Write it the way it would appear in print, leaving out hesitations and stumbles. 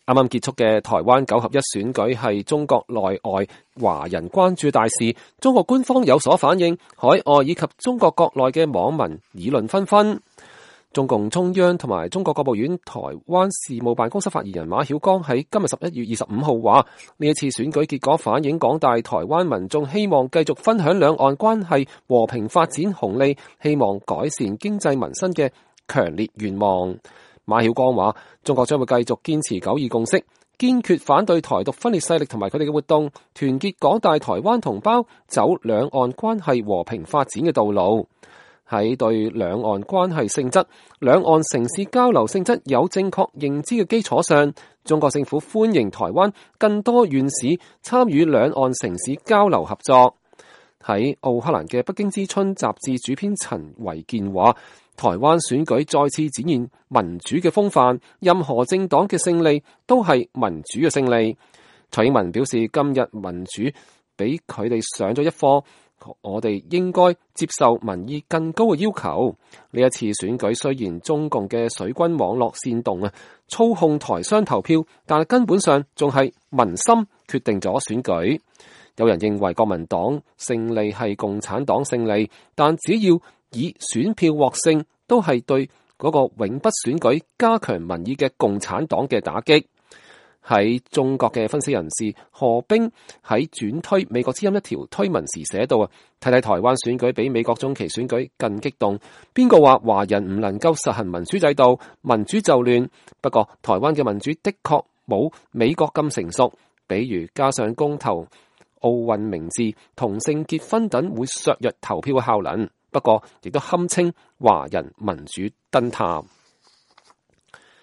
啱啱結束嘅台灣9合1選舉係中國內外華人關注大事，中國官方有所反應，海外以及中國國內嘅網民議論紛紛。中共中央同埋中國國務院台灣事務辦公室發言人馬曉光喺今日11月25號話，呢一次選舉結果反映廣大台灣民眾希望繼續分享兩岸關係和平發展紅利，希望改善經濟民生嘅強烈願望。馬曉光話，中國將會繼續堅持九二共識，堅決反對台獨分裂勢力同埋佢哋嘅活動，團結廣大台灣同胞走兩岸關係和平發展嘅道路。喺對兩岸關係性質、兩岸城市交流性質有正確認知嘅基礎上，中國政府歡迎台灣更多縣市參與兩岸城市交流合作。喺奧克蘭嘅《北京之春》雜誌主編陳維健話，台灣選舉再次展現民主嘅風範，任何政黨嘅勝利都係民主嘅勝利。蔡英文表示，今日民主俾佢哋上咗一課，我哋應該接受民意更高嘅要求。呢一次選舉雖然中共嘅水軍網絡煽動操控台商投票，但係根本上仲係民心決定咗選舉。有人認為國民黨勝利係共產黨勝利，但只要以選票獲勝，都係對嗰個永不選舉加強民意嘅共產黨嘅打擊。喺中國嘅分析人士何冰喺轉推美國之音一條推文時寫到睇睇台灣選舉比美國中期選舉更激動。邊個話華人唔能夠實行民主制度，民主就亂？不過台灣嘅民主的確冇美國咁成熟，比如加上公投、奧運名字、同性結婚等會削弱投票嘅效能。不過亦都堪稱華人民主燈塔。